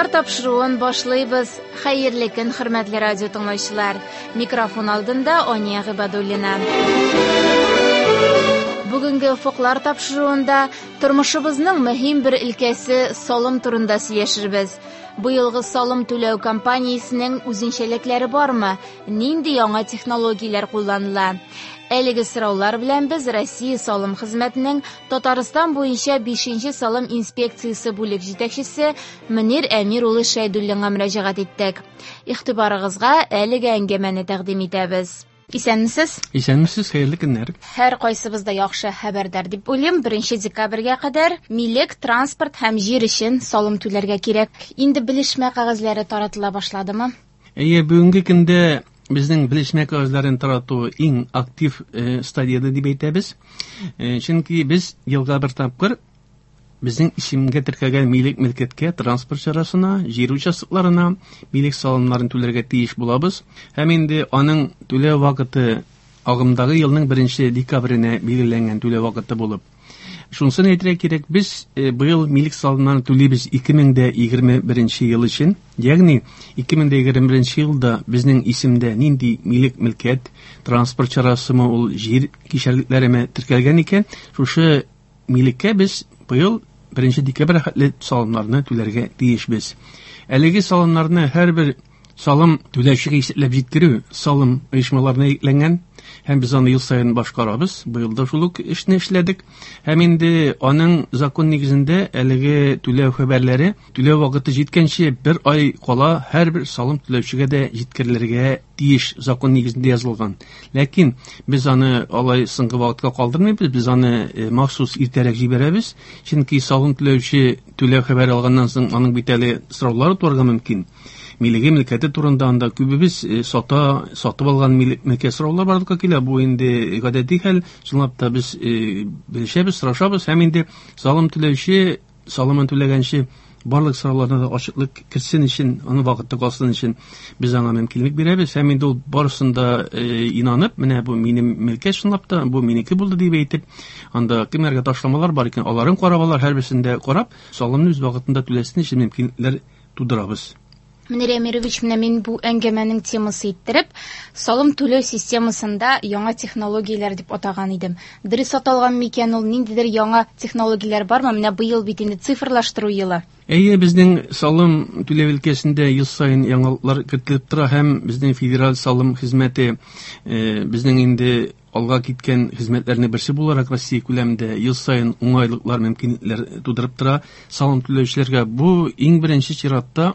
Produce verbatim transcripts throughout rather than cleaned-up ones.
Офыклар тапшыруын башлыйбыз. Хәерле көн, хөрмәтле радио тыңлаучылар. Микрофон алдында Ания Гыйбадуллина. Бүгенге Офыклар тапшыруында тормышыбызның мөһим бер өлкәсе салым турында сөйләшербез. Быелгы салым түләү кампаниясенең үзенчәлекләре бармы? Нинди яңа технологияләр кулланыла? Әлеге сораулар белән без Россия салым хезмәтенең Татарстан буенча бишенче салым инспекциясе бүлек җитәкчесе Мөнир Әмир улы Шәйдуллинга мөрәҗәгать иттек. Игътибарыгызга әлеге әңгәмәне тәкъдим итәбез. Исәнмесез? Исәнмесез, хәерле көннәр. Һәр кайсыбыз да яхшы хәбәрдар дип уйлыйм. Беренче декабрьгә кадәр милек, транспорт һәм җир өчен салым түләргә кирәк. Инде белешмә кәгазьләре таратыла башладымы? Әйе, бүгенге көндә безнең белешмә кәгазьләрен тарату иң актив э, стадияда дип әйтәбез. Э, чөнки без елга бер тапкыр безнең исемгә теркәлгән милек мөлкәткә, транспорт чарасына, җир участокларына милек салымнарын түләргә тиеш булабыз. Һәм инде аның түләү вакыты агымдагы елның беренче декабренә билгеләнгән түләү вакыты булып. Шунысын әйтергә кирәк, без э, быел милек салымнарын түлибез ике мең дә егерме беренче ел өчен. Ягъни ике мең дә егерме беренче елда безнең исемдә нинди милек мөлкәт, транспорт чарасымы, ул җир кишәрлекләреме теркәлгән икән, шушы милеккә без быел беренче декабрь хәтле салымнарны түләргә тиешбез. Әлеге салымнарны һәрбер салым түләүчегә исәпләп җиткерү салым оешмаларына йөкләнгән, һәм без аны ел саен башкарабыз. Быел да шул ук эшне эшләдек. Һәм инде аның закон нигезендә әлеге түләү хәбәрләре түләү вакыты җиткәнче бер ай кала һәрбер салым түләүчегә дә җиткерелергә тиеш, закон нигезендә язылган. Ләкин без аны алай соңгы вакытка калдырмыйбыз, без аны, э, махсус иртәрәк җибәрәбез. Чөнки салым түләүче түләү хәбәре алганнан соң аның бит әле сораулары туарга мөмкин. Милеге мөлкәте турында анда күбебез, э, сата, сатып алган милек мөлкәт сораулар барлыкка килә. Бу инде гадәти хәл. Чынлап та без, э, белешәбез, сорашабыз һәм инде салым түләүче салымын түләгәнче барлык сорауларына да ачыклык кертсен өчен, аны вакытта калсын өчен без аңа мөмкинлек бирәбез. Һәм инде ул барысын да, э, инанып, менә бу минем мөлкәт чынлап та, бу минеке булды дип әйтеп, анда кемнәргә ташламалар бар икән, аларын карап алар, һәрберсен дә карап, салымны үз вакытында түләсен өчен мөмкинлекләр тудырабыз. Мөнир Әмирович, менә мин бу әңгәмәнең темасы иттереп, салым түләү системасында яңа технологияләр дип атаган идем. Дөрес аталган микән ул, ниндидер яңа технологияләр бармы? Менә быел бит инде цифрлаштыру елы. Әйе, безнең салым түләү өлкәсендә ел саен яңалыклар кертелеп тора һәм безнең федераль салым хезмәте, э, безнең инде алга киткән хезмәтләрнең берсе буларак Россия күләмендә ел саен уңайлыклар, мөмкинлекләр тудырып тора салым түләүчеләргә. Бу иң беренче чиратта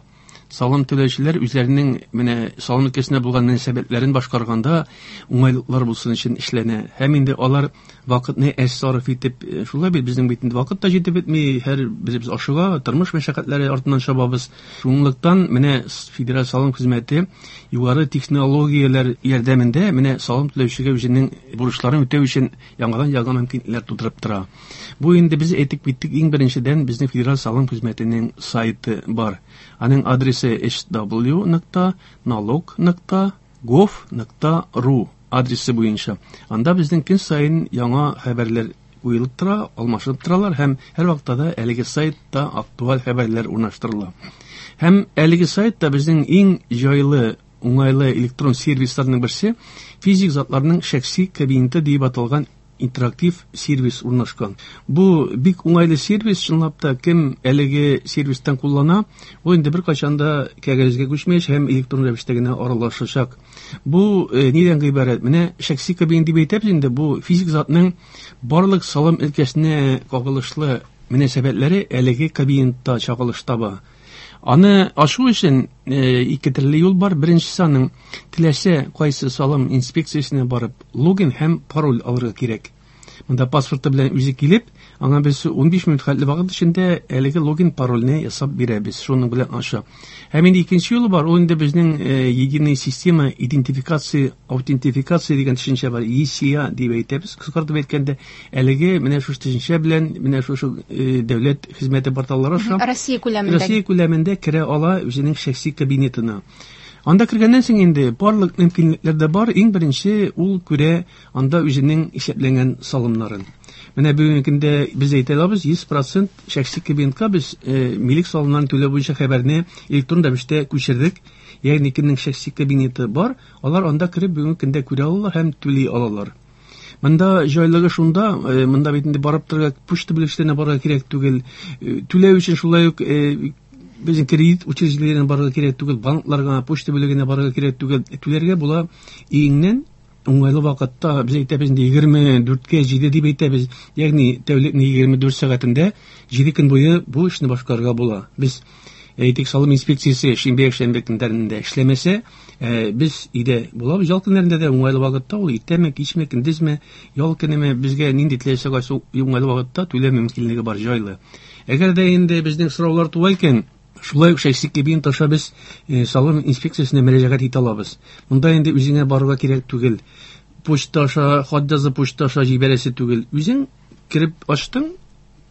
салым түләүчеләр үзләренең менә салым өлкәсендә булган мөнәсәбәтләрен башкарганда уңайлыклар булсын өчен эшләнә. Һәм инде алар вакытны әз сарыф итеп, э, шулай бит безнең бит инде вакыт та җитеп бетми, һәр беребез ашыга, тормыш мәшәкатьләре артыннан чабабыз. Шунлыктан менә федераль салым хезмәте югары технологияләр ярдәмендә менә салым түләүчегә үзенең бурычларын үтәү өчен яңадан яңа мөмкинлекләр тудырып тора. Бу инде без әйтеп киттек, иң беренчедән безнең федераль салым хезмәтенең сайты бар. Аның адресы эйч дабл-ю нокта налог нокта гов нокта ру адресы буенча. Анда безнең көн саен яңа хәбәрләр куелып тора, алмашынып торалар һәм һәр вакытта да әлеге сайтта актуаль хәбәрләр урнаштырыла. Һәм әлеге сайтта безнең иң җайлы, уңайлы электрон сервисларның берсе физик затларның шәхси кабинеты дип аталган интерактив сервис урнашкан. Бу бик уңайлы сервис, чынлап та кем әлеге сервистан куллана, ул инде беркайчан да кәгазьгә күчмәячәк һәм электрон рәвештә генә аралашачак. Бу, э, нидән гыйбарәт? Менә шәхси кабинет дип әйтәбез инде, бу физик затның барлык салым өлкәсенә кагылышлы мөнәсәбәтләре әлеге кабинетта чагылыш таба. Аны ашу өчен, э, ике төрле юл бар. Беренчесе аның теләсә кайсы салым инспекциясенә барып логин һәм пароль алырга кирәк. Монда паспорты белән үзе килеп, аңа без унбиш минут хәтле вакыт эчендә әлеге логин парольне ясап бирәбез. Шуның белән аша. Һәм инде икенче юлы бар, ул инде безнең, э, единая система идентификации, аутентификация дигән төшенчә бар. И С А дип әйтәбез. Кыскартып әйткәндә, әлеге менә шушы төшенчә белән менә шушы, э, дәүләт хезмәте порталлары аша Россия күләмендә. Россия күләмендә керә ала үзенең шәхси кабинетына. Анда кергәннән соң инде барлык мөмкинлекләр дә бар. Иң беренче ул күрә анда үзенең исәпләнгән салымнарын. Менә бүгенге көндә без әйтә алабыз, йөз процент шәхси кабинетка без милек салымнарын түләү буенча хәбәрне электрон рәвештә күчердек. Ягъни кемнең шәхси кабинеты бар, алар анда кереп бүгенге көндә күрә алалар һәм түли алалар. Монда җайлыгы шунда, монда бит инде барып торырга, почта бүлекчәләренә барырга кирәк түгел. Түләү өчен шулай ук безнең кредит учреждениеләренә барырга кирәк түгел, банкларга, почта бүлегенә барырга кирәк түгел. Түләргә була өеңнән уңайлы вакытта, без әйтәбез инде егерме дүрткә җиде дип әйтәбез, ягъни тәүлекнең егерме дүрт сәгатендә җиде көн буе бу эшне башкарырга була. Без әйтик, салым инспекциясе шимбә якшәмбе көннәрендә эшләмәсә, без өйдә булабыз. Ял көннәрендә дә уңайлы вакытта, ул иртәме, кичме, көндезме, ял көнеме, безгә нинди теләсә кайсы уңайлы вакытта түләү мөмкинлеге бар, җайлы. Әгәр дә инде безнең сораулар туа икән, шулай ук шәхси кабинет аша без салым инспекциясенә мөрәҗәгать итә алабыз. Монда инде үзеңә барырга кирәк түгел. Почта аша, хат язып почта аша җибәрәсе түгел. Үзең кереп ачтың,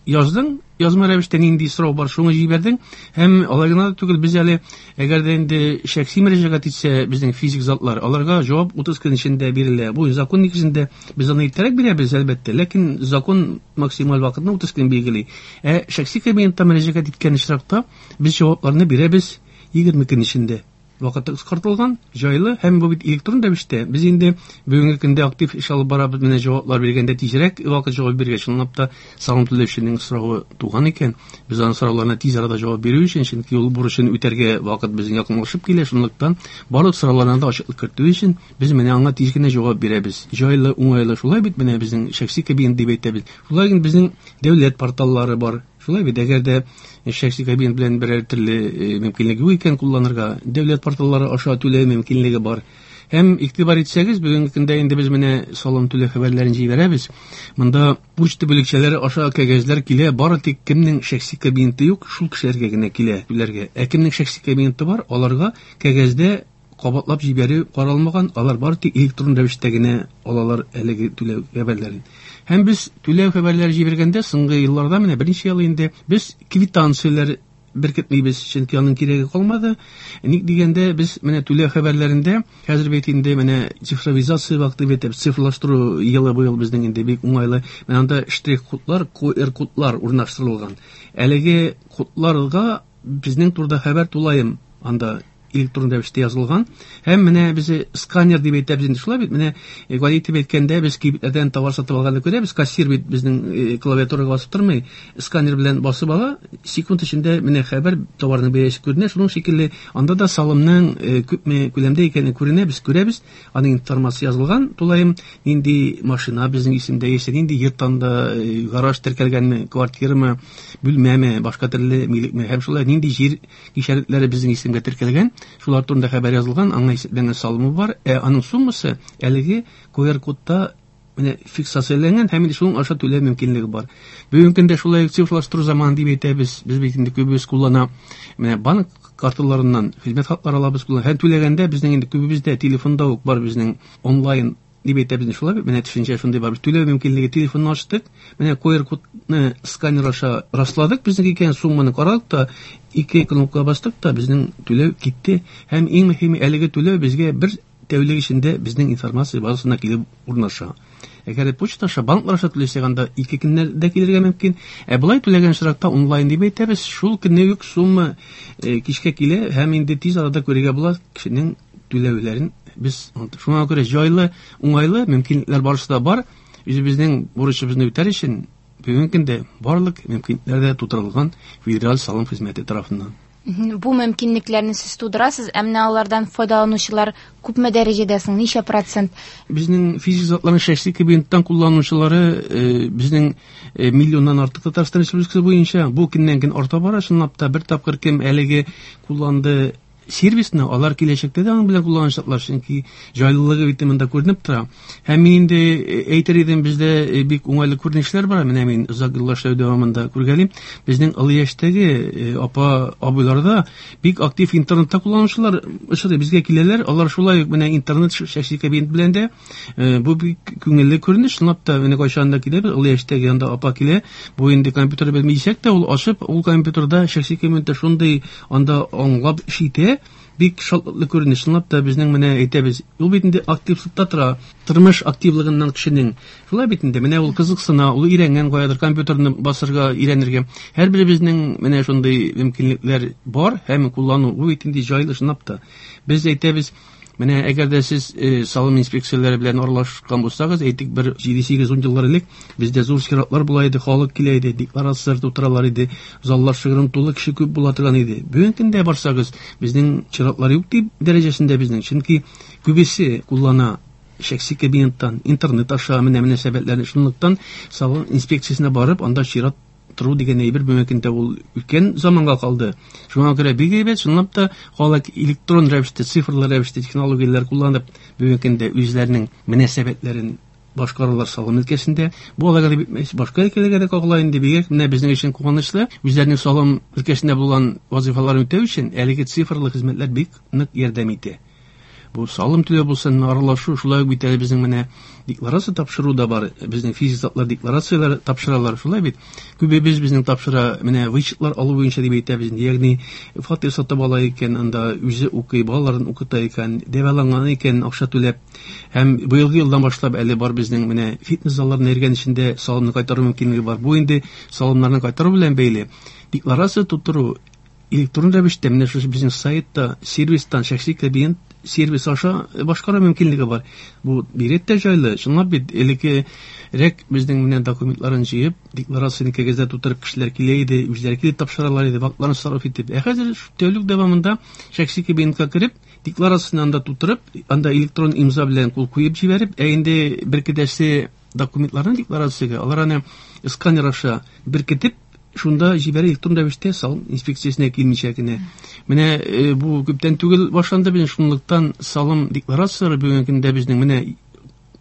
яздың, язма рәвештә нинди сорау бар, шуны җибәрдең. Һәм алай гына да түгел, без әле әгәр дә инде шәхси мөрәҗәгать итсә безнең физик затлар, аларга җавап утыз көн эчендә бирелә. Бу закон нигезендә без аны иртәрәк бирәбез, әлбәттә, ләкин закон максималь вакытны утыз көн билгели. Ә шәхси кабинетта мөрәҗәгать иткән очракта без җавапларны бирәбез егерме көн эчендә. Вакыты кыскартылган, җайлы, һәм бу бит электрон рәвештә. Без инде бүгенге көндә актив эш алып барабыз, менә җаваплар биргәндә тизрәк вакыт җавап биргән, чынлап та салым түләүченең соравы туган икән, без аның сорауларына тиз арада җавап бирү өчен, чөнки ул бурычын үтәргә вакыт безнең якынлашып килә, шунлыктан барлык сорауларына да ачыклык кертү өчен без менә аңа тиз генә җавап бирәбез. Җайлы, уңайлы, шулай бит менә безнең шәхси кабинет дип әйтәбез. Шулай ук безнең дәүләт порталлары бар. Шулай бит, әгәр дә шәхси кабинет белән берәр төрле мөмкинлеге юк икән кулланырга, дәүләт порталлары аша түләү мөмкинлеге бар. Һәм игътибар итсәгез, бүгенге көндә инде без менә салым түләү хәбәрләрен җибәрәбез. Монда почта бүлекчәләре аша кәгазьләр килә, бары тик кемнең шәхси кабинеты юк, шул кешеләргә генә килә түләргә. Ә кемнең шәхси кабинеты бар, аларга кәгазьдә кабатлап җибәрү каралмаган, алар бары тик электрон рәвештә генә алалар әлеге түләү хәбәрләрен. Һәм без түләү хәбәрләре җибәргәндә соңгы елларда менә берничә ел инде без квитанцияләр беркетмибез, чөнки аның кирәге калмады. Ник дигәндә, без менә түләү хәбәрләрендә хәзер бит инде менә цифровизация вакыты бит, цифрлаштыру елы быел безнең инде бик уңайлы. Менә анда штрих-кодлар, ку эр кодлар урнаштырылган. Әлеге кодларга безнең турыда хәбәр тулаем анда электрон рәвештә язылган. Һәм менә без сканер дип әйтәбез инде, шулай бит, менә гади итеп әйткәндә без кибетләрдән товар сатып алганда күрәбез, кассир бит безнең клавиатурага басып тормый, сканер белән басып ала, секунд эчендә менә хәбәр товарның бәясе күренә. Шуның шикелле анда да салымның күпме күләмдә икәне күренә, без күрәбез, аның информация язылган, тулаем нинди машина безнең исемдә яисә нинди йорттан да гараж теркәлгәнме, квартирамы, бүлмәме, башка төрле милекме, һәм шулай нинди җир кишәрлекләре безнең исемгә теркәлгән, шулар турында хәбәр язылган, аңа исәпләнгән салымы бар, ә аның суммасы әлеге ку эр кодта менә фиксацияләнгән һәм инде шуның аша түләү мөмкинлеге бар. Бүгенге көндә шулай цифрлаштыру заманы дип әйтәбез, без бит инде күбебез куллана менә банк карталарыннан хезмәт хаклары алабыз, куллана. Һәм түләгәндә безнең инде күбебездә телефонда ук бар безнең онлайн дип әйтәбез, шулай бит, менә төшенчә шундый бар. Без түләү мөмкинлеге телефонны ачтык, менә ку эр кодны сканер аша расладык, безнең икән сумманы карадык та, ике кнопка бастык та, безнең түләү китте. Һәм иң мөһиме, әлеге түләү безгә бер тәүлек эчендә безнең информация базасына килеп урнаша. Әгәр почта аша, банклар аша түләсәк, анда ике көннәрдә килергә мөмкин. Ә болай түләгән очракта онлайн дип әйтәбез, шул көнне үк сумма кичкә килә һәм инде тиз арада күрергә була кешенең түләүләрен. Без шуңа күрә җайлы, уңайлы мөмкинлекләр барысы да бар. Үзебезнең бурычыбызны үтәр өчен бүгенге көндә барлык мөмкинлекләр дә тутырылган федераль салым хезмәте тарафыннан. Бу мөмкинлекләрне сез тудырасыз, ә менә алардан файдаланучылар күпме дәрәҗәдә соң, ничә процент? Безнең физик затларның шәхси кабинеттан кулланучылары, э, безнең, э, миллионнан артык Татарстан Республикасы буенча бу көннән-көн арта бара. Чынлап та бер тапкыр кем әлеге кулланды сервисны, алар киләчәктә дә аның белән кулланачаклар, чөнки җайлылыгы бит монда күренеп тора. Һәм мин инде әйтер идем, бездә бик уңайлы күренешләр бар. Менә мин озак еллар эшләү дәвамында күргәлим, безнең олы яшьтәге апа абыйларда бик актив интернетта кулланучылар очрый, безгә киләләр. Алар шулай ук менә интернет шәхси кабинет белән дә, бу бик күңелле күренеш. Чынлап та менә кайчан да киләбез, олы яшьтәге анда апа килә, бу инде компьютер белми дисәк тә, ул ачып, ул компьютерда шәхси кабинетта шундый анда аңлап эш итә. күрә бик шатлыклы күренеш. Чынлап та безнең менә әйтәбез, ул бит инде активлыкта тора, тормыш активлыгыннан кешенең. Шулай бит инде, менә ул кызыксына, ул өйрәнгән каядыр компьютерны басырга өйрәнергә. Һәрберебезнең менә шундый мөмкинлекләр бар һәм куллану бу бит инде җайлы чынлап та. Без әйтәбез, менә әгәр дә сез э, салым инспекцияләре белән аралашкан булсагыз, әйтик, бер җиде-сигез ун еллар элек бездә зур чиратлар була иде, халык килә иде, декларацияләр тутыралар иде, заллар шыгрым тулы, кеше күп була торган иде. Бүгенге көндә барсагыз, безнең чиратлар юк дип дәрәҗәсендә безнең, чөнки күбесе куллана шәхси кабинеттан, интернет аша менә мөнәсәбәтләрне. Шунлыктан салым инспекциясенә барып, анда чират тору дигән әйбер бүгенге көндә ул үткән заманга калды. Шуңа күрә бик әйбәт, чынлап та халык электрон рәвештә, цифрлы рәвештә технологияләр кулланып, бүгенге көндә үзләренең мөнәсәбәтләрен башкаралар салым өлкәсендә. Бу аларга да битмәс, башка өлкәләргә дә кагыла инде. Бигрәк менә безнең өчен куанычлы, үзләренең салым өлкәсендә булган вазифаларын үтәү өчен әлеге цифрлы хезмәтләр бик нык ярдәм итә. Бу салым түләү булсын, аралашу, шулай ук бит әле безнең менә декларация тапшыру да бар. Безнең физик затлар декларацияләр тапшыралар, шулай бит. Күбебез безнең тапшыра, менә вычетлар алу буенча дип әйтәбез. Ягъни фатир сатып ала икән, анда үзе укый, балаларын укыта икән, дәваланган икән, акча түләп. Һәм быелгы елдан башлап әле бар безнең менә фитнес залларына йөргән өчен дә салымны кайтару мөмкинлеге бар. Бу инде салымнарны кайтару белән бәйле. Декларация тутыру электрон рәвештә менә шушы безнең сайтта, сервистан, шәхси кабинет сервис аша башкару мөмкинлеге бар. Бу бигрәк тә җайлы. Чынлап бит элеккерәк безнең менә документларын җыеп, декларацияне кәгазьдә тутырып кешеләр килә иде, үзләре килеп тапшыралар иде, вакытларын сарыф итеп. Ә хәзер тәүлек дәвамында шәхси кабинетка кереп, декларацияне анда тутырып, анда электрон имза белән кул куеп җибәреп, ә инде беркетәсе документларны декларациягә алар аны сканер аша беркетеп, шунда җибәрә электрон рәвештә салым инспекциясенә килмичә генә. Менә э, бу күптән түгел башланды безнең, шунлыктан салым декларацияләре бүгенге көндә безнең менә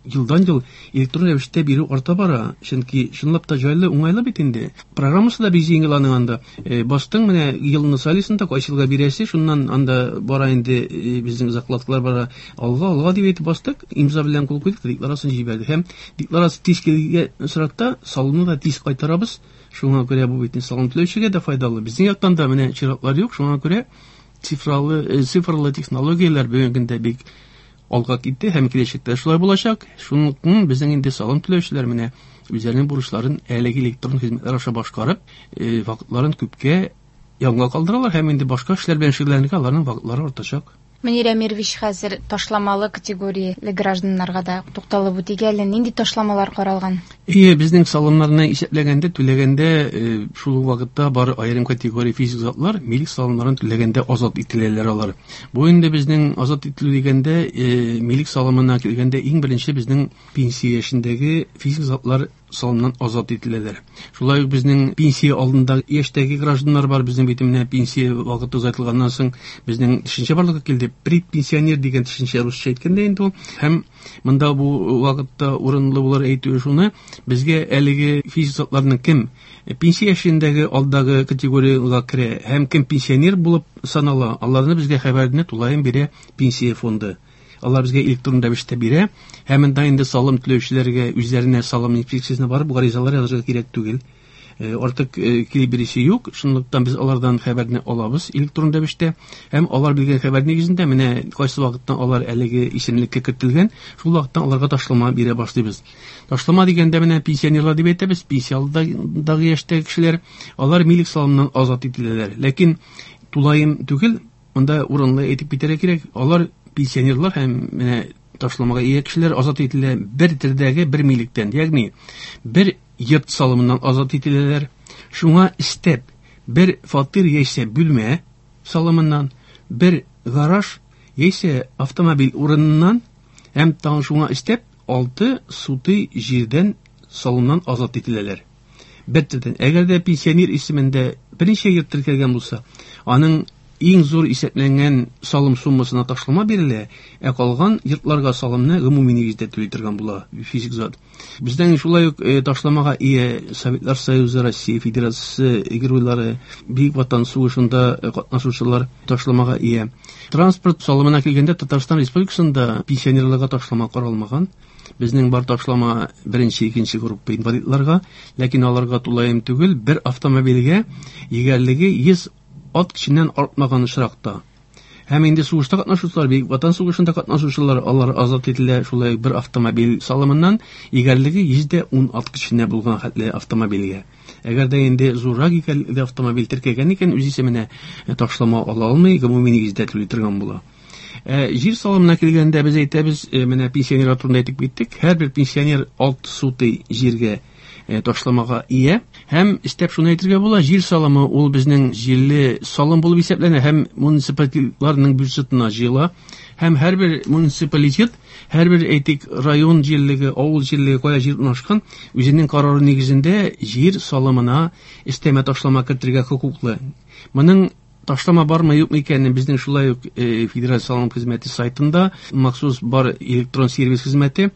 елдан ел электрон рәвештә бирү арта бара. Чөнки чынлап та җайлы, уңайлы бит инде. Программасы да бик җиңел аның анда. Э, бастың менә елны сайлыйсың да, кайсы елга бирәсе, шуннан анда бара инде э, безнең закладкалар бара. Алга, алга дип әйтеп бастык, имза белән кул куйдык, декларацияне җибәрдек. Һәм декларация тиз килгән очракта салымны да тиз кайтарабыз. Шуңа күрә бу бит салым түләүчегә дә файдалы. Безнең яктан да менә чиратлар юк, шуңа күрә цифралы, цифрлы технологияләр бүгенге көндә бик алга китте һәм киләчәктә шулай булачак. Шунлыктан безнең инде салым түләүчеләр менә үзләренең бурычларын әлеге электрон хезмәтләр аша башкарып, вакытларын күпкә янга калдыралар һәм инде башка эшләр белән шөгыльләнергә аларның вакытлары артачак. Мөнир Әмирович, хәзер ташламалы категорияле гражданнарга да тукталып үтик әле. Нинди ташламалар каралган? Ие, безнең салымнарны исәпләгәндә, түләгәндә, шул ук вакытта бар аерым категория физик затлар милек салымнарын түләгәндә азат ителәләр алар. Бу инде безнең азат ителү дигәндә, милек салымына килгәндә иң беренче безнең пенсия яшендәге физик затлар салымнан азат ителәләр. Шулай ук безнең пенсия алдында яшьтәге гражданнар бар. Безнең бит менә пенсия вакыты озайтылганнан соң безнең төшенчә барлыкка килде. Предпенсионер дигән төшенчә русча әйткәндә инде ул. Һәм монда бу вакытта урынлы булыр әйтүе шуны, безгә әлеге физик затларның кем пенсия яшендәге алдагы категориягә керә һәм кем пенсионер булып санала, аларны безгә хәбәрне тулаем бирә пенсия фонды. Алар безгә электрон рәвештә бирә. Һәм монда инде салым түләүчеләргә үзләренә салым инспекциясенә барып гаризалар язырга кирәк түгел. Артык килеп бирүче юк. Шунлыктан без алардан хәбәрне алабыз электрон рәвештә. Һәм алар биргән хәбәр нигезендә менә кайсы вакыттан алар әлеге исемлеккә кертелгән, шул вакыттан аларга ташлама бирә башлыйбыз. Ташлама дигәндә менә пенсионерлар дип әйтәбез, пенсия алдындагы яшьтәге кешеләр, алар милек салымыннан азат ителәләр. Ләкин тулаем түгел, монда урынлы әйтеп китәргә кирәк, алар пенсионерлар һәм менә ташламага ия кешеләр азат ителә бер төрдәге бер милектән, ягъни бер йорт салымыннан азат ителәләр. Шуңа өстәп бер фатир яисә бүлмә салымыннан, бер гараж яисә автомобиль урыныннан һәм тагын шуңа өстәп алты сутый җирдән салымнан азат ителәләр. Бер төрдән. Әгәр дә пенсионер исемендә берничә йорт теркәлгән булса, аның иң зур исәпләнгән салым суммасына ташлама бирелә, ә калган йортларга салымны гомуми нигездә түли торган була физик зат. Бездән шулай ук ташламага ия Советлар Союзы, Россия Федерациясе геройлары, Бөек Ватан сугышында катнашучылар ташламага ия. Транспорт салымына килгәндә Татарстан Республикасында пенсионерларга ташлама каралмаган. Безнең бар ташлама беренче, икенче группа инвалидларга, ләкин аларга тулаем түгел, бер автомобильгә егәрлеге йөз ат көченнән артмаган очракта Һәм инде сугышта катнашучылар, Бөек Ватан сугышында катнашучылар, алар азат ителә шулай бер автомобиль салымыннан, егәрлеге йөздә ун ат көченә булган хәтле автомобильгә. Әгәр дә инде зуррак егәрле автомобиль теркәгән икән, үз исеменә ташлама ала алмый, гомуми нигездә түли торган була. Ә, җир салымына килгәндә без әйтәбез, менә пенсионерлар турында әйтеп киттек, һәрбер пенсионер алты сутый җиргә ташламага ия. Һәм истәп шуны әйтергә була, җир салымы ул безнең җирле салым булып исәпләнә һәм муниципалитетларның бюджетына җыела. Һәм һәрбер муниципалитет, һәрбер әйтик район җирлеге, авыл җирлеге кая җир урнашкан, үзенең карары нигезендә җир салымына өстәмә ташлама кертергә хокуклы. Моның ташлама бармы юкмы икәнен безнең шулай ук Федераль салым хезмәте сайтында махсус бар электрон сервис хезмәте,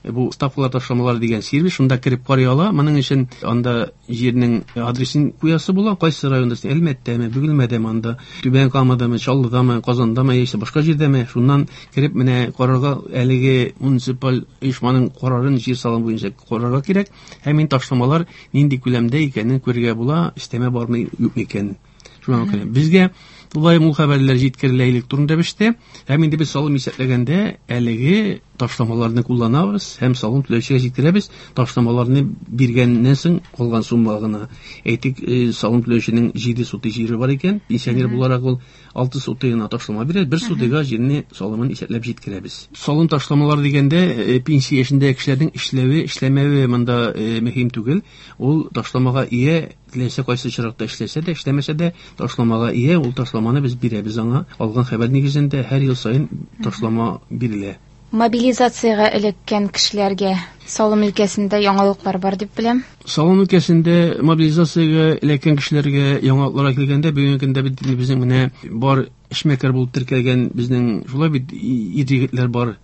бу ставкалар ташламалар дигән сервис, шунда кереп карый ала. Моның өчен анда җирнең адресын куясы була, кайсы районда, Әлмәттәме, Бөгелмәдәме, анда Түбән Камадамы, Чаллыдамы, Казандамы, яисә башка җирдәме, шуннан кереп менә карарга әлеге муниципаль оешманың карарын җир салым буенча карарга кирәк. Һәм инде ташламалар нинди күләмдә икәнен күрергә була, өстәмә бармы юкмы икәнен. Шуңа күрә безгә тулаем ул хәбәрләр җиткерелә электрон рәвештә. Һәм инде без салым исәпләгәндә әлеге ташламаларны кулланабыз һәм салым түләүчегә җиткерәбез. Ташламаларны биргәннән соң калган сумма гына. Әйтик, салым түләүченең җиде сутый җире бар икән, пенсионер буларак ул алты сутыйына ташлама бирә, бер сутыйга җирне салымын исәпләп җиткерәбез. Салым ташламалар дигәндә, пенсия яшендәге кешеләрнең эшләве, эшләмәве монда мөһим түгел. Ул ташламага ия, теләсә кайсы очракта эшләсә дә, эшләмәсә дә ташламага ия, ул ташламаны без бирәбез аңа. Алган хәбәр нигезендә һәр ел саен ташлама бирелә. Мобилизациягә эләккән кешеләргә салым өлкәсендә яңалыклар бар дип беләм. Салым өлкәсендә мобилизациягә эләккән кешеләргә яңалыклар килгәндә, бүгенге көндә бит безнең менә бар эшмәкәр булып теркәлгән безнең шулай бит ир-егетләр бар.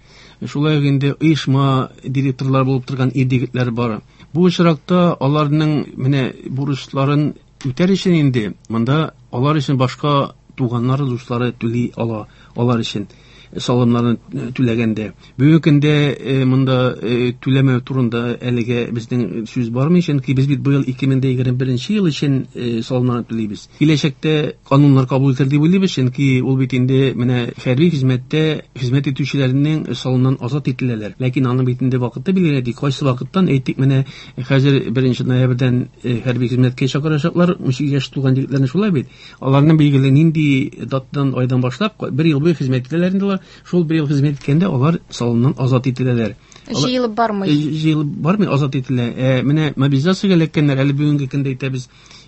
Шулай ук инде оешма директорлар булып торган ир-егетләр бар. Бу очракта аларның менә бурычларын үтәр өчен инде монда алар өчен башка туганнары, дуслары түли ала, алар өчен салымнарын түләгәндә. Бүгенге көндә монда түләмәү турында әлегә безнең сүз бармый, чөнки без бит быел ике мең егерме беренче ел өчен салымнарны түлибез. Киләчәктә кануннар кабул ителер дип уйлыйбыз, чөнки ул бит инде менә хәрби хезмәттә хезмәт итүчеләрнең салымнан азат ителәләр. Ләкин аның бит инде вакыты билгеле, кайсы вакыттан әйтик, менә хәзер беренче ноябрьдән хәрби хезмәткә чакырачаклар, унсигез яшь тулган егетләрне шулай бит. Аларның билгеле нинди датадан, айдан башлап бер ел буе хезмәт итәләр инде алар. Шул бер ел хезмәт иткәндә алар салымнан азат ителәләр. Җыелып бармый. Җыелып бармый, азат ителә. Ә менә мобилизациягә эләккәннәр әле бүгенге көндә әйтәбез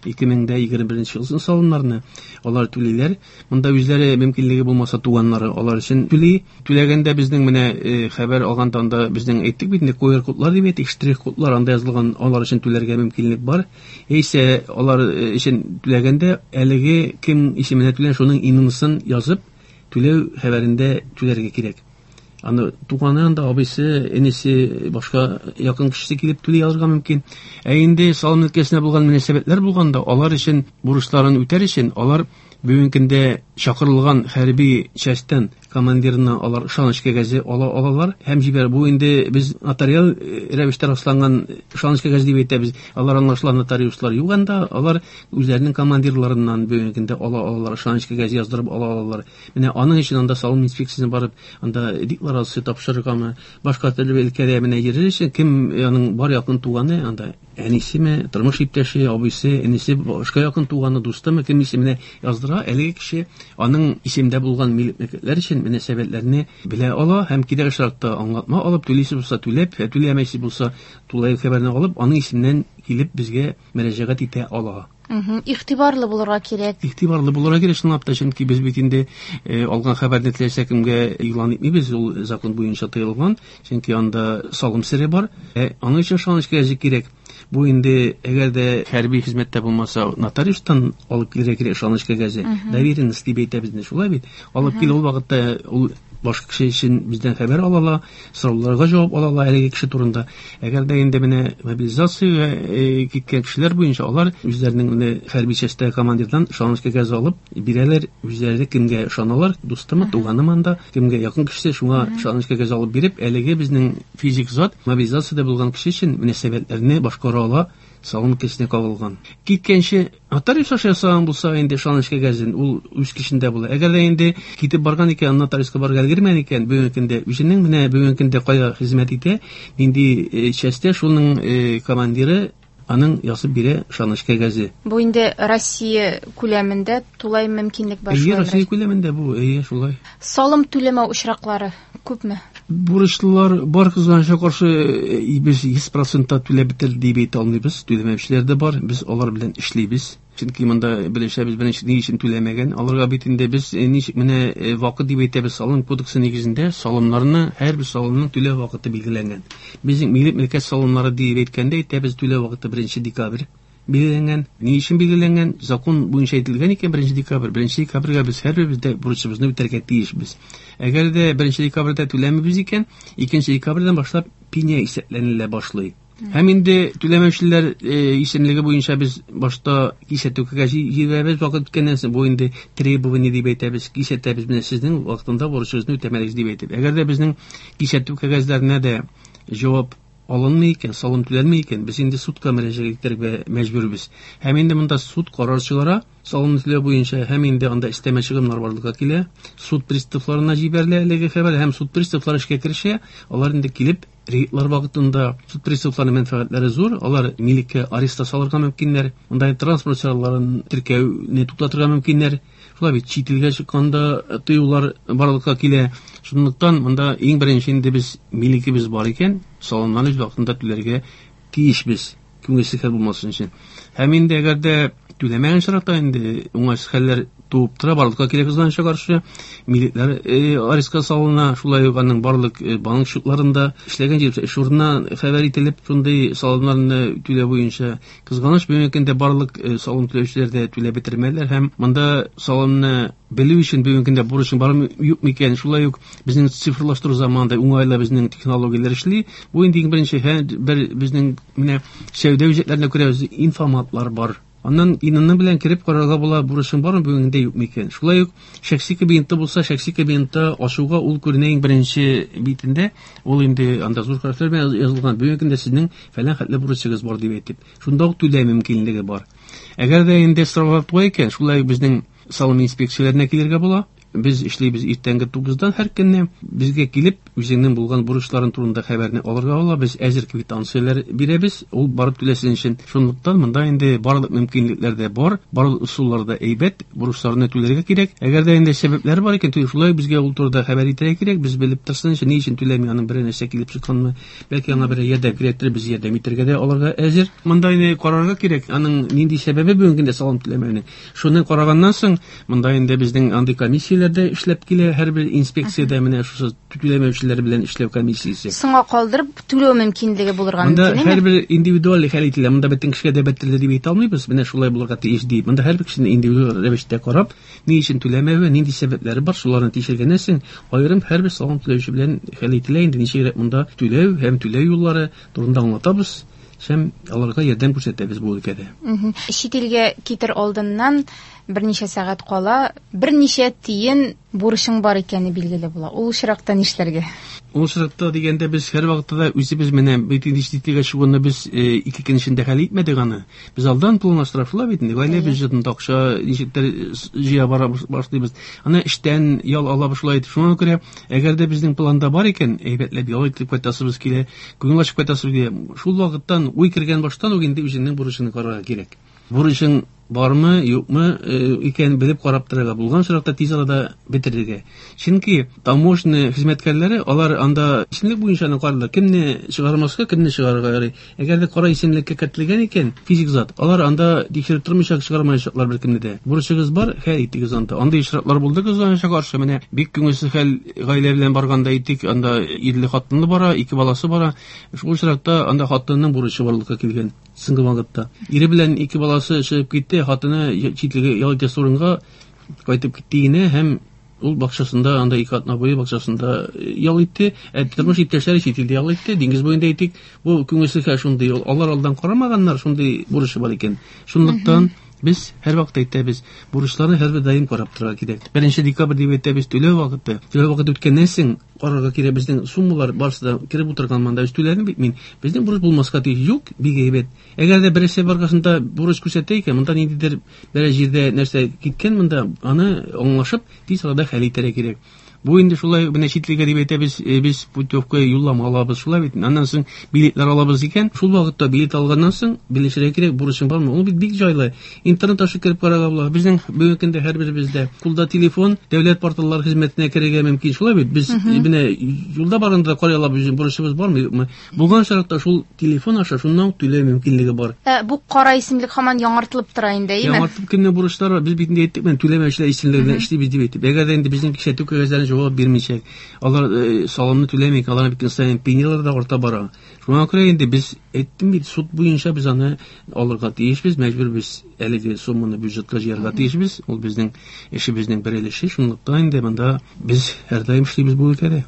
ике мең егерме беренче елның салымнарны алар түлиләр. Монда үзләре мөмкинлеге булмаса туганнары алар өчен түли. Түләгәндә безнең менә хәбәр алганда анда безнең әйттек бит инде ку эр кодлар дип әйтик, штрих кодлар анда язылган, алар өчен түләргә мөмкинлек бар. Яисә алар өчен түләгәндә әлеге кем исеменә түләгән шуның ИНН-сын язып түләү хәбәрендә түләргә кирәк. Аны туганы анда абыйсы, энесе, башка якын кешесе килеп түли алырга мөмкин. Ә инде салым өлкәсенә булган мөнәсәбәтләр булганда, алар өчен бурычларын үтәр өчен алар бүгенге көндә чакырылган хәрби частьтан командирына алар ышаныч кәгазе ала алалар һәм җибәрә. Бу инде без нотариаль рәвештә расланган ышаныч кәгазе дип әйтәбез. Алар аңлашыла нотариуслар юк анда, алар үзләренең командирларыннан бүгенге көндә ала алалар, ышаныч кәгазе яздырып ала алалар. Менә аның өчен анда салым инспекциясенә барып, анда декларация тапшырыргамы, башка төрле өлкәдә менә йөрер өчен кем аның бар якын туганы, анда әнисеме, тормыш иптәше, абыйсы, энесе, башка якын туганы, дустымы, кем исеменә яздыра, әлеге кеше аның исемдә булган милек-мөлкәтләр өчен мөнәсәбәтләрне белә ала һәм кирәк очракта аңлатма алып, түлисе булса түләп, түләмәсе булса тулаем хәбәрне алып, аның исеменнән килеп безгә мөрәҗәгать итә ала. Игътибарлы булырга кирәк. Игътибарлы булырга кирәк, чынлап та, чөнки без бит инде алган хәбәрне теләсә кемгә игълан итмибез, ул закон буенча тыелган, чөнки анда салым сере бар. Ә аның өчен ышаныч кәгазе кирәк. Бу инде әгәр дә хәрби хезмәттә булмаса, нотариустан алып килергә кирәк ышаныч кәгазе. Доверенность дип әйтәбез инде, шулай бит. Алып килә ул вакытта ул башка кеше өчен бездән хәбәр ала ала, сорауларга җавап ала ала әлеге кеше турында. Әгәр дә инде менә мобилизациягә киткән кешеләр буенча алар үзләренең менә хәрби частьтә командирдан ышаныч кәгазе алып бирәләр, үзләре кемгә ышаналар, дустымы, туганымы анда, кемгә якын кешесе, шуңа ышаныч кәгазе алып биреп, әлеге безнең физик зат мобилизациядә булган кеше өчен мөнәсәбәтләрне башкара ала, Салым өлкәсенә кагылган. Киткәнче нотариус аша ясаган булса, инде ышаныч кәгазен ул үз көчендә була. Әгәр дә инде китеп барган икән, нотариуска барырга өлгермәгән икән, бүгенге көндә үзенең менә бүгенге көндә кая хезмәт итә, нинди частьтә, шуның командиры аның язып бирә ышаныч кәгазе. Бу инде Россия күләмендә тулай мөмкинлек бар. Әйе, Россия күләмендә бу, әйе, шулай. Салым түләмәү очраклары күпме? Бурычлылар бар, кызганычка каршы, без йөз процентта түләп бетерде дип әйтә алмыйбыз. Түләмәүчеләр дә бар, без алар белән эшлибез. Чөнки монда белешәбез, беренче ни өчен түләмәгән. Аларга бит инде без ничек менә вакыт дип әйтәбез, салым кодексы нигезендә салымнарны, һәрбер салымның түләү вакыты билгеләнгән. Безнең милек мөлкәт салымнары дип әйткәндә әйтәбез, түләү вакыты беренче декабрь билгеләнгән. Ни өчен билгеләнгән? Закон буенча әйтелгән икән беренче декабрь. Беренче декабрьгә без һәрберебез дә бурычыбызны үтәргә тиешбез. Әгәр дә беренче декабрьдә түләмибез икән, икенче декабрьдән башлап пеня исәпләнелә башлый. Һәм инде түләмәүчеләр исемлеге буенча без башта кисәтү кәгазе җибәрәбез, вакыт үткәннән соң бу инде требование дип әйтәбез, кисәтәбез, менә сезнең вакытында бурычыгызны үтәмәдегез дип әйтеп. Әгәр дә безнең кисәтү кәгазьләренә дә җавап алынмый икән, салым түләнми икән, без инде судка мөрәҗәгать итәргә мәҗбүрбез. Һәм инде монда суд карар чыгара, салым түләү буенча, һәм инде анда өстәмә чыгымнар барлыкка килә. Суд приставларына җибәрелә әлеге хәбәр, һәм суд приставлары эшкә керешә, алар инде килеп рейдлар вакытында суд приставларының мәнфәгатьләре зур, алар милеккә арест салырга мөмкиннәр, монда транспорт чараларын теркәүне туктатырга мөмкиннәр. Шулай бит чит илгә чыкканда тыюлар барлыкка килә. Шунлыктан монда иң беренче инде без милекебез бар икән, салымнарны үз вакытында түләргә тиешбез, күңелсез хәл булмасын өчен. Һәм инде әгәр дә түләмәгән очракта инде уңайсыз хәлләр туып тора, барлыкка килә кызганычка каршы, милекләр арестка салына, шулай ук аның барлык банк счетларында эшләгән җир эш урынына хәбәр ителеп, шундый салымнарны түләү буенча кызганыч бүгенге көндә барлык салым түләүчеләр дә түләп бетермәделәр. Һәм монда салымны белү өчен бүгенге көндә бурычың бармы юкмы икән, шулай ук безнең цифрлаштыру заманында уңайлы безнең технологияләр эшли. Бу инде иң беренче бер безнең менә сәүдә үзәкләрендә күрәбез, информатлар бар. Аннан инанны белән кереп карарга була, бурычың бармы бүгенге юкмы икән. Шулай ук шәхси кабинетта булса, шәхси кабинетта ачуга ул күренә иң беренче битендә, ул инде анда зур хәрефләр белән язылган, бүгенге көндә сезнең фәлән хәтле бурычыгыз бар дип әйтеп, шунда ук түләү мөмкинлеге бар. Әгәр дә инде сорау туа икән, шулай ук безнең салым инспекцияләренә килергә була. Без эшлибез иртәнге тугыздан һәр көнне. Безгә килеп, үзеңнең булган бурычларын турында хәбәрне алырга була. Без әзер квитанцияләр бирәбез, ул барып түләсен өчен. Шунлыктан монда инде барлык мөмкинлекләр дә бар, барлык ысуллар да әйбәт, бурычларны түләргә кирәк. Әгәр дә инде сәбәпләр бар икән, шулай безгә ул турыда хәбәр итәргә кирәк. Без белеп торсын өчен, ни өчен түләми, аның берәр нәрсә килеп чыкканмы, бәлки аңа берәр ярдәм кирәктер, без ярдәм итәргә дә аларга әзер. Монда инде карарга кирәк, аның нинди сәбәбе бүгенге көндә салым түләмәүнең. Шуны караганнан соң, монда инде безнең андый комиссияләр дә эшләп килә, һәрбер инспекциядә менә шушы түләмәүчеләр белән эшләү комиссиясе. Соңга калдырып түләү мөмкинлеге булырга мөмкин. Монда һәрбер индивидуаль хәл ителә. Монда бөтен кешегә дә бетерелде дип әйтә алмыйбыз. Менә шулай булырга тиеш дип. Монда һәрбер кешене индивидуаль рәвештә карап, ни өчен түләмәве, нинди сәбәпләре бар, шуларны тикшергәннән соң, аерым һәрбер салым түләүче белән хәл ителә. Инде ничегрәк монда түләү һәм түләү юллары турында аңлатабыз. Һәм аларга ярдәм күрсәтәбез бу өлкәдә. Чит илгә китер алдыннан берничә сәгать кала, берничә тиен бурычың бар икәне билгеле була. Ул очракта нишләргә? Ул очракта дигәндә без һәр вакытта да үзебез менә бит инде чит илгә чыгуны без ике көн эчендә хәл итмәдек аны. Без алдан планлаштырып бит инде. Гаилә бюджетында акча ничектер җыя бара башлыйбыз. Аны эштән ял ала башлый итеп. Шуңа күрә, әгәр дә безнең планда бар икән, әйбәтләп ял итеп кайтасыбыз килә, күңел ачып кайтасыбыз килә. Шул вакыттан уй кергән баштан ук инде үзеңнең бурычыңны карарга кирәк. Бурычың бармы, юкмы икән белеп карап торырга, булган очракта тиз арада бетерергә. Чөнки таможня хезмәткәрләре алар анда исемлек буенча аны карыйлар. Кемне чыгармаска, кемне чыгарырга ярый. Әгәр дә кара исемлеккә кертелгән икән физик зат, алар анда тикшереп тормыйча чыгармаячаклар беркемне дә. Бурычыгыз бар, хәл итегез анда. Андый очраклар булды кызганычка каршы. Менә бик күңелсез хәл гаилә белән барганда әйтик, анда ирле хатынлы бара, ике баласы бара. Шул очракта анда хатынның бурычы барлыкка килгән. Соңгы вакытта ире белән ике баласы чыгып китте, хатыны чит илгә ял итәсе урынга кайтып китте генә һәм ул бакчасында, анда ике атна буе бакчасында ял итте. Ә тормыш иптәшләре чит илдә ял итте, диңгез буенда әйтик. Бу күңелсез хәл шундый. Алар алдан карамаганнар, шундый бурычы бар икән. Шунлыктан Без һәрвакыт әйтәбез, бурычларны һәрбер даим карап торырга кирәк. Беренче декабрь дип әйтәбез, түләү вакыты. Түләү вакыты үткәннән соң карарга кирәк, безнең суммалар барысы да кереп утырган монда. Без түләдем бит мин. Безнең бурыч булмаска тиеш. Юк, бик әйбәт. Әгәр дә берәрсе баргасында бурыч күрсәтә икән, монда ниндидер берәр җирдә нәрсә киткән, монда аны аңлашып тиз арада хәл итәргә кирәк. Бу инде шулай менә чит илгә дип әйтәбез, без путевка юллама алабыз, шулай бит. Аннан соң билетлар алабыз икән, шул вакытта билет алганнан соң белешергә кирәк, бурычың бармы? Ул бит бик җайлы. Интернет аша кереп карарга була. Безнең бүгенге көндә һәрберебездә кулда телефон, дәүләт порталлары хезмәтенә керергә мөмкин, шулай бит. Без менә юлда барганда карый алабыз, бурычыбыз бармы, юкмы? Булган шартта шул телефон аша шуннан түләү мөмкинлеге бар. Ә, бу кара исемлек һаман яңартылып тора инде, әйеме? Яңартып кемнең бурычлары бар? Без бит инде әйттек, менә түләмәүчеләр исемлегенә эшлибез дип әйтеп. Әгәр дә инде безнең кисәтү кәгазьләрен җавап бирмичә, алар э, салымны түләми, алар бит саен пенялар да арта бара. Шуңа күрә инде без әйттем бит, суд буенча без аны алырга тиешбез, мәҗбүр без әлеге сумманы бюджетка җыярга тиешбез. Ул безнең эшебезнең бер өлеше. Шунлыктан инде монда без һәрдаим эшлибез бу өлкәдә.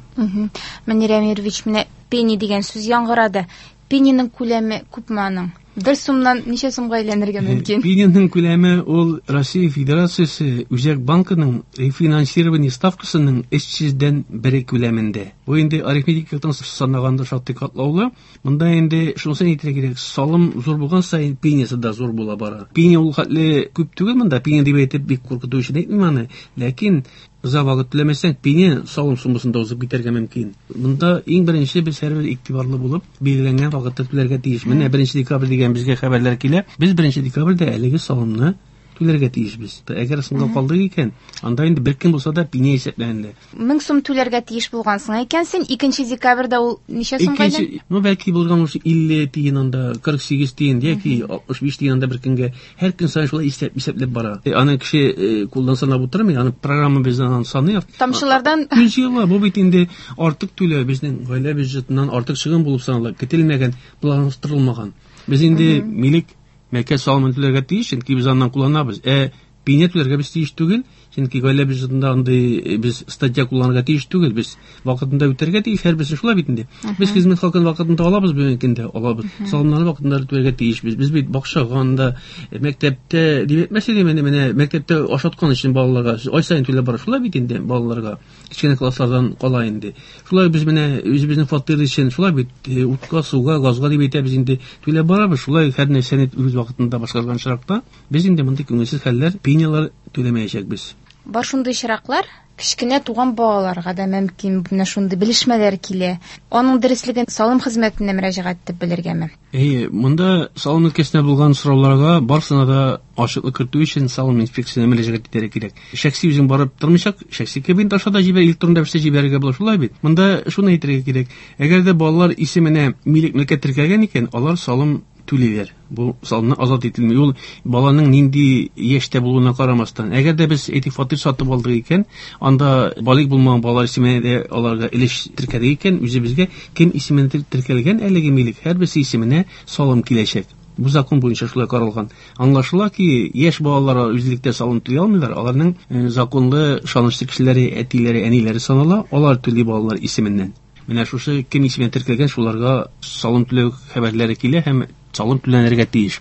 Мөнир Әмирович, менә пени дигән сүз яңгырады. Пениның күләме күпме аның? Бер сумнан ничә сумга әйләнергә мөмкин? Пениның күләме ул Россия Федерациясе Үзәк банкының рефинансирование ставкасының өч йөздән бере күләмендә. Бу инде арифметик яктан санаганда шактый катлаулы. Монда инде шунысын әйтергә кирәк, салым зур булган саен пениясе дә зур була бара. Пения ул хәтле күп түгел монда, пения дип әйтеп бик куркыту өчен әйтмим аны. Ләкин озак вакыт түләмәсәң, пения салым суммасында узып китәргә мөмкин. Монда иң беренче без һәрбер игътибарлы булып, билгеләнгән вакытта түләргә тиеш. Менә беренче декабрь дигән безгә хәбәрләр килә. Без беренче декабрьдә әлеге салымны түләргә тиешбез. Әгәр соңга калдык икән, анда инде бер көн булса да пения исәпләнелә. Мең сум түләргә тиеш булгансың икән син, икенче декабрьдә ул ничә сумга әйләнә? Ну, бәлки булган уж илле тиен анда, кырык сигез тиен яки алтмыш биш тиен анда бер көнгә. Һәр көн саен шулай исәп, исәпләп бара. Аны кеше кулдан санап утырмый, аны программа бездән аны саный. Тамчылардан Күз җыела. Бу бит инде артык түләү, безнең гаилә бюджетыннан артык чыгым булып санала, көтелмәгән, планлаштырылмаган. Без инде милек мәкә салымын түләргә тиеш, чөнки без аннан кулланабыз. Ә пения түләргә без тиеш түгел, чөнки гаилә бюджетында андый без статья кулланырга тиеш түгел, без вакытында үтәргә тиеш, һәрберсе шулай бит инде. Без хезмәт хакын вакытында алабыз, бүгенге көндә алабыз. Салымнарны вакытында түләргә тиешбез. Без бит бакчага анда, мәктәптә дип әйтмәсә дә, менә, менә мәктәптә ашаткан өчен балаларга ай саен түләп бара, шулай бит инде балаларга. Кечкенә класслардан кала инде. Шулай без менә үзебезнең фатир өчен шулай бит утка, суга, газга дип әйтәбез инде түләп барабыз. Шулай һәр нәрсәне үз вакытында башкарган очракта без инде мондый күңелсез хәлләр, пениялар түләмәячәкбез. Бар шундый очраклар, кечкенә туган балаларга да мөмкин менә шундый белешмәләр килә. Аның дөреслеген салым хезмәтенә мөрәҗәгать итеп белергәме? Әйе, монда салым өлкәсендә булган сорауларга барысына да ачыклык кертү өчен салым инспекциясенә мөрәҗәгать итәргә кирәк. Шәхси үзең барып тормыйчак, шәхси кабинет аша да җибәр, электрон рәвештә җибәрергә була, шулай бит. Монда шуны әйтергә кирәк. Әгәр дә балалар исеменә милек мөлкәт теркәлгән икән, алар салым түлиләр. Бу салымнан азат ителми. Ул баланың нинди яшьтә булуына карамастан. Әгәр дә без әйтик фатир сатып алдык икән, анда балигъ булмаган балалар исеменә дә аларга өлеш теркәлгән икән, үзебезгә кем исеменә теркәлгән әлеге милек, һәрберсе исеменә салым киләчәк. Бу закон буенча шулай каралган. Аңлашыла ки, яшь балалар үзлектә салым түли алмыйлар, аларның законлы ышанычлы кешеләре, әтиләре, әниләре санала, алар түли балалар исеменнән. Менә шушы кем исеменә теркәлгән, шуларга салым түләү хәбәрләре килә һәм салым түләнергә тиеш.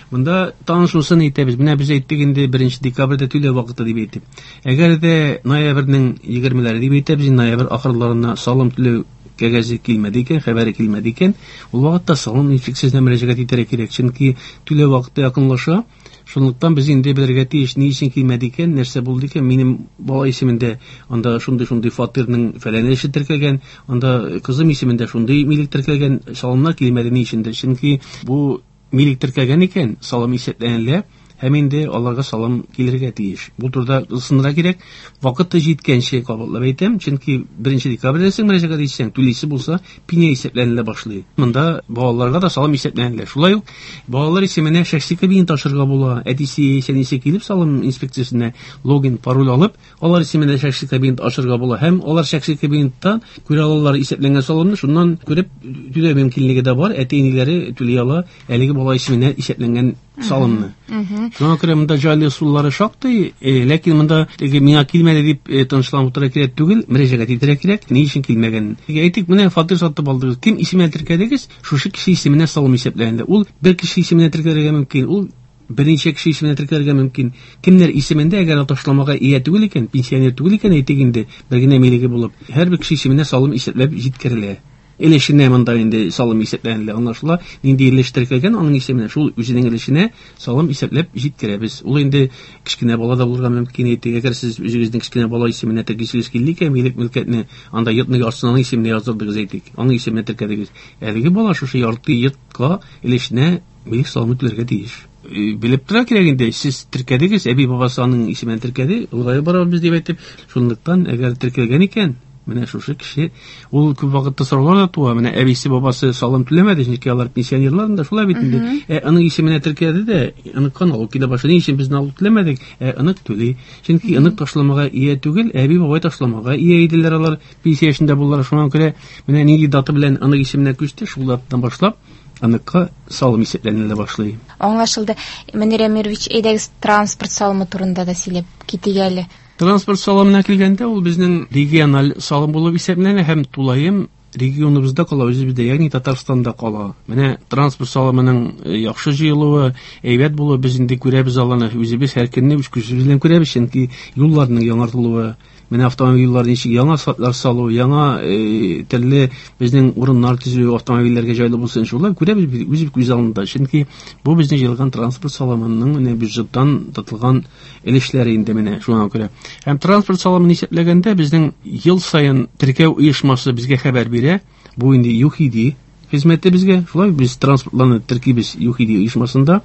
Монда тагын шунысын әйтәбез. Менә без әйттек инде беренче декабрьдә түләү вакыты дип әйтеп. Әгәр дә ноябрьнең егермеләре дип әйтәбез, ноябрь ахырларына салым түләү кәгазе килмәде икән, хәбәре килмәде икән, ул вакытта салым инспекциясенә мөрәҗәгать итәргә кирәк. Чөнки түләү вакыты якынлаша. Шунлыктан без инде белергә тиеш, ни өчен килмәде икән, нәрсә булды икән, минем бала исемендә анда шундый-шундый фатирның фәлән эше теркәлгән, анда кызым исемендә шундый милек теркәлгән, салымнар килмәде ни өчендер? Чөнки бу милек теркәлгән икән, салым исәпләнелә һәм инде аларга салым килергә тиеш. Бу турыда ысынырга кирәк. Вакыты җиткәнче кабатлап әйтәм, чөнки беренче декабрьдә син мөрәҗәгать итсәң, түлисе булса, пения исәпләнелә башлый. Монда балаларга да салым исәпләнелә. Шулай ук балалар исеменә шәхси кабинет ачырга була. Әтисе, әнисе килеп салым инспекциясенә логин, пароль алып, алар исеменә шәхси кабинет ачырга була һәм алар шәхси кабинеттан күрә алалар исәпләнгән салымны, шуннан күреп түләү мөмкинлеге дә бар. Әти-әниләре түли ала әлеге бала исеменә исәпләнгән салымны. Шуңа күрә монда җайлы ысуллары шактый, ләкин монда теге миңа килмәде дип тынычланып утырырга кирәк түгел, мөрәҗәгать итәргә кирәк, ни өчен килмәгәнен. Әйтик, менә фатир сатып алдыгыз, кем исеменә теркәдегез, шушы кеше исеменә салым исәпләнде. Ул бер кеше исеменә теркәлергә мөмкин, ул Берничә кеше исеменә теркәлергә мөмкин. Кемнәр исемендә, әгәр ташламага ия түгел икән, пенсионер түгел икән, әйтик инде, бер генә милеге булып, һәрбер кеше исеменә салым исәпләп җиткерелә. Өлешенә монда инде салым исәпләнелә, аңлашыла. Нинди өлеш теркәлгән, аның исеменә, шул үзенең өлешенә салым исәпләп җиткерәбез. Ул инде кечкенә бала да булырга мөмкин, әйтик, әгәр сез үзегезнең кечкенә бала исеменә теркисегез килде икән, милек мөлкәтне анда йортның яртысын аның исеменә яздырдыгыз, әйтик, аның исеменә теркәдегез. Әлеге бала шушы ярты йортка өлешенә милек салымы түләргә тиеш. Белеп тора кирәк инде, сез теркәдегез, әби бабасы аның исеменә теркәде, олыгая барабыз дип әйтеп, шунлыктан әгәр теркәлгән икән, менә шушы кеше, ул күп вакытта сораулар да туа, менә әбисе бабасы салым түләмәде, чөнки алар пенсионерлар да шулай бит инде. Ә аның исеменә теркәде дә, аныкка налог килә башлады. Ни өчен без налог түләмәдек? Ә анык түли. Чөнки анык ташламага ия түгел, әби бабай ташламага ия иделәр алар, пенсия яшендә булдылар. Шуңа күрә менә нинди дата белән анык исеменә күчте, шул датадан башлап аныкка салым исәпләнелә башлый. Аңлашылды. Мөнир Әмирович, әйдәгез транспорт салымы турында да сөйләп китик әле. Транспорт салымына килгәндә, ул безнең региональ салым булып исәпләнә һәм тулаем регионыбызда кала, үзебездә, ягъни Татарстанда кала. Менә транспорт салымының яхшы җыелуы, әйбәт булуы без инде күрәбез аланы, үзебез һәр көнне үз күзебез белән күрәбез, чөнки юлларның яңартылуы, менә автомобиль юллары ничек яңа асфальтлар салу, яңа э, төрле безнең урыннар төзү, автомобильләргә җайлы булсын, шулай күрәбез без үз күз алдында. Чөнки бу безнең җыелган транспорт салымының менә бюджеттан тотылган өлешләре инде менә шуңа күрә. Һәм транспорт салымын исәпләгәндә безнең ел саен теркәү оешмасы безгә хәбәр бирә. Бу инде ЮХИДИ хезмәте безгә. Шулай без транспортларны теркибез ЮХИДИ оешмасында.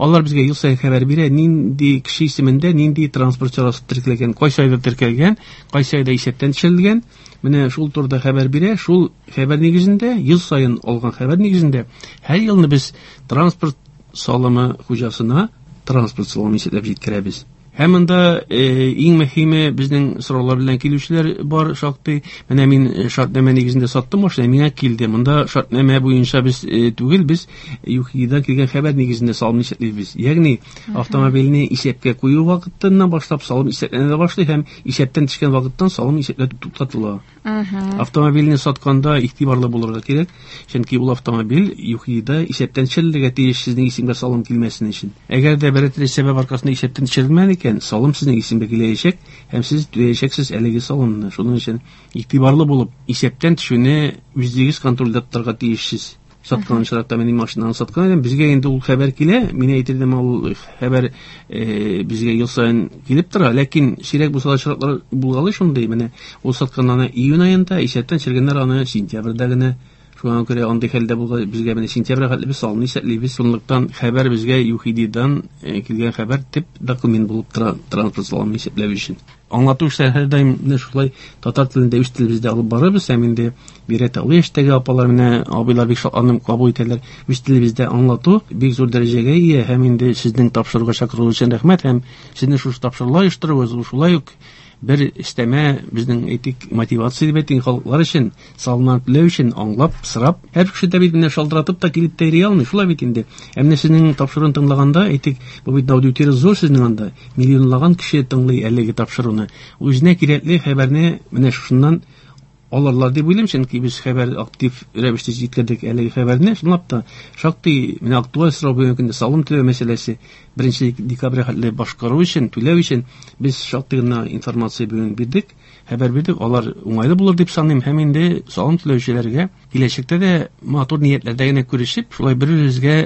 Алар безгә ел саен хәбәр бирә, нинди кеше исемендә нинди транспорт чарасы теркәлгән, кайсы айда теркәлгән, кайсы айда исәптән төшерелгән. Менә шул турыда хәбәр бирә. Шул хәбәр нигезендә, ел саен алган хәбәр нигезендә һәр елны без транспорт салымы хуҗасына транспорт салымы исәпләп җиткерәбез. Һәм монда э, иң мөһиме безнең сораулар белән килүчеләр бар шактый. Менә мин шартнамә нигезендә саттым машина, миңа килде. Монда шартнамә буенча без э, түгел, без ЮХИДИдан килгән хәбәр нигезендә салым исәплибез. Ягъни автомобильне исәпкә кую вакытыннан башлап салым исәпләнә башлый һәм исәптән төшкән вакыттан салым исәпләү туктатыла. Автомобильне сатканда игътибарлы булырга кирәк, чөнки ул автомобиль ЮХИДИда исәптән төшерелергә тиеш, сезнең исемгә салым килмәсен өчен. Әгәр дә берәр төрле сәбәп аркасында исәптән төшерелмәгән икән, салым сезнең исемгә киләчәк һәм сез түләячәксез әлеге салымны. Шуның өчен игътибарлы булып, исәптән төшүне үзегез контрольдә тотарга тиешсез. Саткан очракта мин машинаны саткан идем, безгә инде ул хәбәр килә, мин әйтер идем, ул хәбәр э, безгә ел саен килеп тора, ләкин сирәк булса да очраклар булгалый шундый. Менә ул саткан аны июнь аенда, исәптән төшергәннәр аны сентябрьдә генә. Шуңа күрә андый хәлдә булгач, безгә менә сентябрь хәтле без салымны исәплибез. Шунлыктан хәбәр безгә ЮХИДИдан килгән хәбәр төп документ булып тора транспорт салымын исәпләү өчен. Аңлату эшләре һәрдаим менә шулай татар телендә үз телебездә алып барабыз. Һәм инде бигрәк тә олы яшьтәге апалар, менә абыйлар бик шатланып кабул итәләр. Үз телебездә аңлату бик зур дәрәҗәгә ия. Һәм инде сезнең тапшыруга чакыруыгыз өчен рәхмәт. Һәм сезнең шушы тапшырулар оештыруыгыз шулай ук бер өстәмә безнең әйтик мотивация дип әйтик халыклар өчен, салымнар түләү өчен аңлап, сорап, һәр кеше дә бит менә шалтыратып та килеп тә йөри алмый, шулай бит инде. Ә менә сезнең тапшыруны тыңлаганда, әйтик, бу бит аудитория зур сезнең анда, миллионлаган кеше тыңлый әлеге тапшыруны. Үзенә кирәкле хәбәрне менә шушыннан алырлар дип уйлыйм, чөнки без хәбәр актив рәвештә җиткердек әлеге хәбәрне. Чынлап та шактый менә актуаль сорау бүгенге көндә салым түләү мәсьәләсе беренче декабрь хәтле башкару өчен, түләү өчен без шактый гына информация бүген бирдек, хәбәр бирдек. Алар уңайлы булыр дип саныйм. Һәм инде салым түләүчеләргә киләчәктә дә матур ниятләрдә генә күрешеп, шулай бер-беребезгә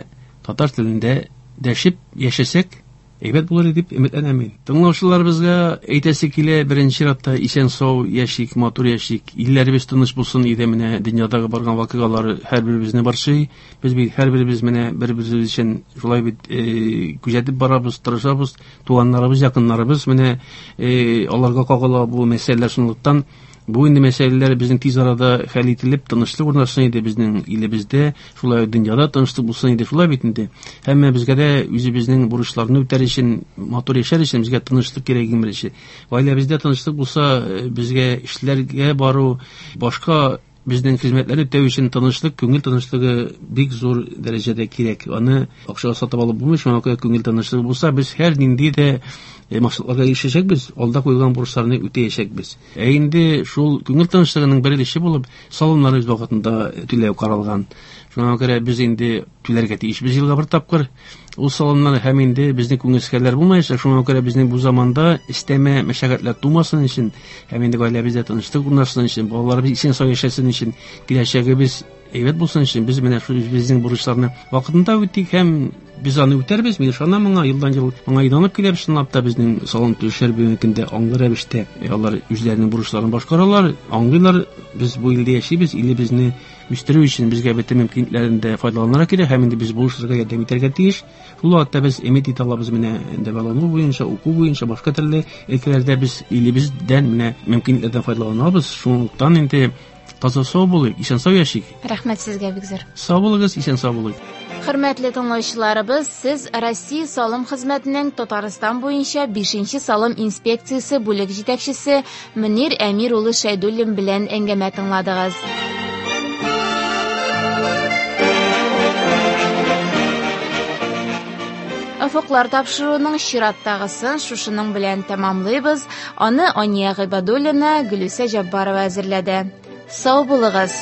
татар телендә дәшеп яшәсәк, әйбәт булыр дип өметләнәм мин. Тыңлаучыларыбызга әйтәсе килә, беренче чиратта исән-сау яшик, матур яшик, илләребез тыныч булсын иде. Менә дөньядагы барган вакыйгалар һәрберебезне борчый. Без бит һәрберебез менә бер-беребез өчен шулай бит, э, күзәтеп барабыз, тырышабыз. Туганнарыбыз, якыннарыбыз менә, э, аларга кагыла бу мәсьәләләр. Шунлыктан бу инде мәсьәләләр безнең тиз арада хәл ителеп, тынычлык урнашсын иде безнең илебездә, шулай дөньяда тынычлык булсын иде, шулай бит инде. Һәм безгә дә үзебезнең бурычларны үтәр өчен, матур яшәр өчен безгә тынычлык кирәк иң беренче. Гаиләбездә тынычлык булса, безгә эшләргә бару, башка безнең хезмәтләрне үтәү өчен тынычлык, күңел тынычлыгы бик зур дәрәҗәдә кирәк. Аны акчага сатып алып булмый, шуңа күрә күңел тынычлыгы булса, без һәр нинди дә максатларга ирешәчәкбез, алда куелган бурычларны үтәячәкбез. Ә инде шул күңел тынычлыгының бер өлеше булып салымнар үз вакытында түләү каралган. Шуңа күрә без инде түләргә тиешбез елга бер тапкыр. Ул салымнар һәм инде безнең күңелсез хәлләр булмаячак. Шуңа күрә безнең бу заманда өстәмә мәшәкатьләр тумасын өчен һәм инде гаиләбездә тынычлык урнашсын өчен, балаларыбыз исән-сау яшәсен өчен, киләчәгебез әйбәт булсын өчен без менә шул безнең бурычларны вакытында үтик һәм без аны үтәрбез. Мин ышанам моңа, елдан-ел моңа инанып киләбез. Чынлап та безнең салым түләүчеләр бүгенге көндә аңлы рәвештә алар үзләренең бурычларын башкаралар, аңлыйлар. Без бу илдә яшибез, илебезне үстерү өчен безгә бөтен мөмкинлекләрен дә файдаланырга кирәк һәм инде без булышырга, ярдәм итәргә тиеш. Шул вакытта без өмет итә алабыз менә дәвалану буенча, уку буенча, башка төрле өлкәләрдә без илебездән менә мөмкинлекләрдән файдаланабыз. Шунлыктан инде таза сау булыйк, исән сау яшик. Рәхмәт сезгә бик зур. Сау булыгыз, исән сау булыйк. Хөрмәтле тыңлаучыларыбыз, сез Россия салым хезмәтенең Татарстан буенча бишенче салым инспекциясе бүлек җитәкчесе Мөнир Әмир улы Шәйдуллин белән әңгәмә тыңладыгыз. Офыклар тапшыруының чираттагысын шушының белән тәмамлыйбыз. Аны Ания Гыйбадуллина, Гөлүсә Җаббарова әзерләде. Сау булыгыз!